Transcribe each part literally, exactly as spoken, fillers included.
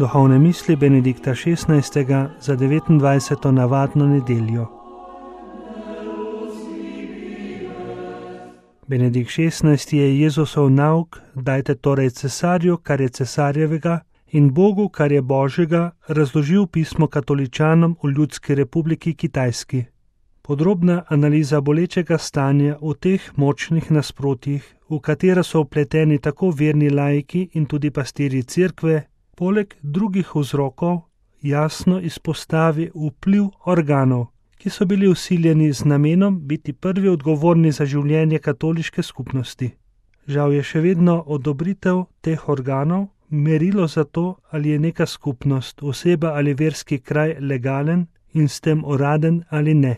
Duhovne misli Benedikta šestnajstega za devetindvajseto navadno nedeljo. Benedikt šestnajsti je Jezusov nauk: dajte torej cesarju, kar je cesarjevega, in Bogu, kar je Božjega, razložil pismo katoličanom v Ljudski republiki Kitajski. Podrobna analiza bolečega stanja v teh močnih nasprotjih, v katera so vpleteni tako verni laiki in tudi pastirji cerkve, poleg drugih vzrokov jasno izpostavi vpliv organov, ki so bili vsiljeni z namenom biti prvi odgovorni za življenje katoliške skupnosti. Žal je še vedno odobritev teh organov merilo za to, ali je neka skupnost, oseba ali verski kraj legalen in s tem uraden ali ne.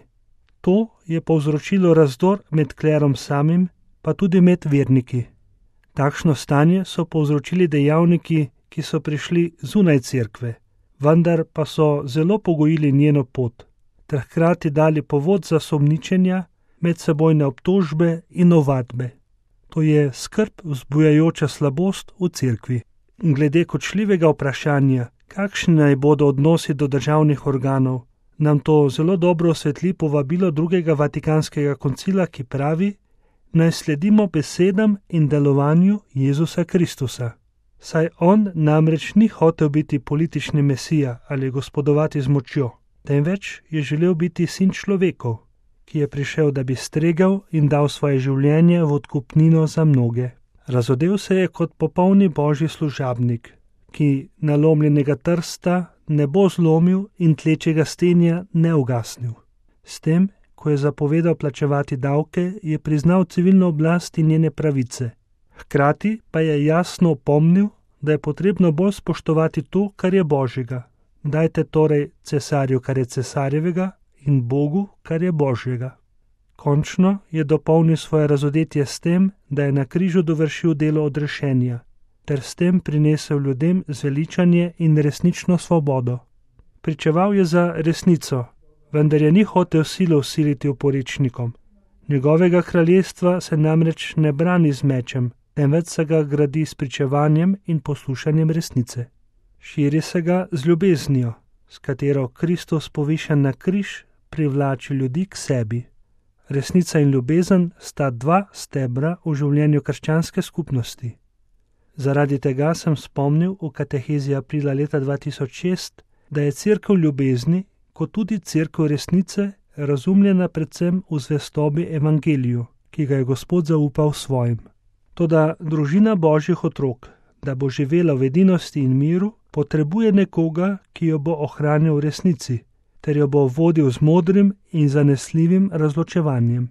To je povzročilo razdor med klerom samim, pa tudi med verniki. Takšno stanje so povzročili dejavniki, ki so prišli zunaj cerkve, vendar pa so zelo pogojili njeno pot, ter hkrati dali povod za sumničenja, medsebojne obtožbe in ovadbe. To je skrb vzbujajoča slabost v cerkvi. Glede kočljivega vprašanja, kakšni naj bodo odnosi do državnih organov, nam to zelo dobro osvetli povabilo drugega Vatikanskega koncila, ki pravi, naj sledimo besedam in delovanju Jezusa Kristusa. Saj on namreč ni hotel biti politični mesija ali gospodovati z močjo, temveč je želel biti sin človekov, ki je prišel, da bi stregel in dal svoje življenje v odkupnino za mnoge. Razodel se je kot popolni božji služabnik, ki nalomljenega trsta ne bo zlomil in tlečega stenja ne ugasnil. S tem, ko je zapovedal plačevati davke, je priznal civilno oblast in njene pravice. Hkrati pa je jasno opomnil, da je potrebno bolj spoštovati to, kar je Božjega. Dajte torej cesarju, kar je cesarjevega, in Bogu, kar je Božjega. Končno je dopolnil svoje razodetje s tem, da je na križu dovršil delo odrešenja, ter s tem prinesel ljudem zveličanje in resnično svobodo. Pričeval je za resnico, vendar je ni hotel silo vsiliti oporečnikom. Njegovega kraljestva se namreč ne brani z mečem, temveč se ga gradi s pričevanjem in poslušanjem resnice. Širi se ga z ljubeznijo, s katero Kristus povišen na križ privlači ljudi k sebi. Resnica in ljubezen sta dva stebra v življenju krščanske skupnosti. Zaradi tega sem spomnil v katehezi aprila leta dva tisoč šest, da je cerkev ljubezni, kot tudi cerkev resnice, razumljena predvsem v zvestobi evangeliju, ki ga je Gospod zaupal svojim. Toda družina božjih otrok, da bo živela v edinosti in miru, potrebuje nekoga, ki jo bo ohranil v resnici, ter jo bo vodil z modrim in zanesljivim razločevanjem.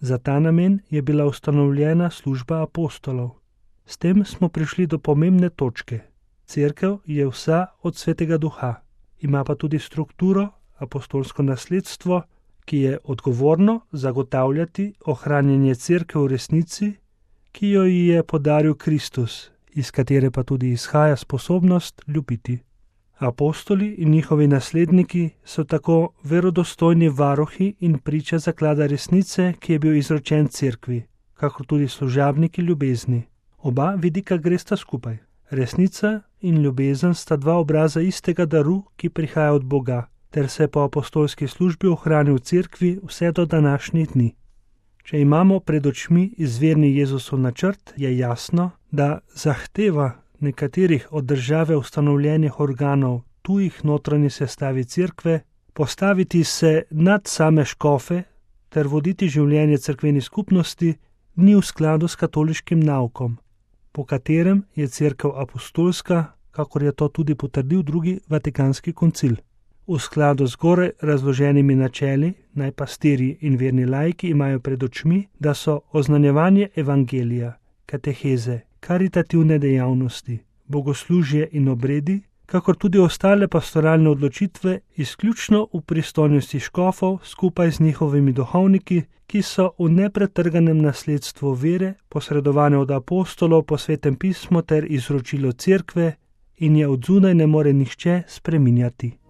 Za ta namen je bila ustanovljena služba apostolov. S tem smo prišli do pomembne točke. Cerkev je vsa od Svetega Duha, ima pa tudi strukturo, apostolsko nasledstvo, ki je odgovorno zagotavljati ohranjanje cerkev v resnici, ki jo ji je podaril Kristus, iz katere pa tudi izhaja sposobnost ljubiti. Apostoli in njihovi nasledniki so tako verodostojni varuhi in priče zaklada resnice, ki je bil izročen cerkvi, kakor tudi služabniki ljubezni. Oba vidika gresta skupaj. Resnica in ljubezen sta dva obraza istega daru, ki prihaja od Boga, ter se po apostolski službi ohrani v cerkvi vse do današnjih dni. Če imamo pred očmi izvirni Jezusov načrt, je jasno, da zahteva nekaterih od države ustanovljenih organov tujih notranji sestavi cerkve, postaviti se nad same škofe ter voditi življenje cerkveni skupnosti, ni v skladu s katoliškim naukom, po katerem je cerkev apostolska, kakor je to tudi potrdil drugi Vatikanski koncil. V skladu z zgoraj razloženimi načeli naj pastirji in verni laiki imajo pred očmi, da so oznanjevanje evangelija, kateheze, karitativne dejavnosti, bogoslužje in obredi, kakor tudi ostale pastoralne odločitve, izključno v pristojnosti škofov skupaj z njihovimi duhovniki, ki so v nepretrganem nasledstvu vere, posredovane od apostolov po Svetem pismu ter izročilo cerkve, in je od zunaj ne more nihče spreminjati.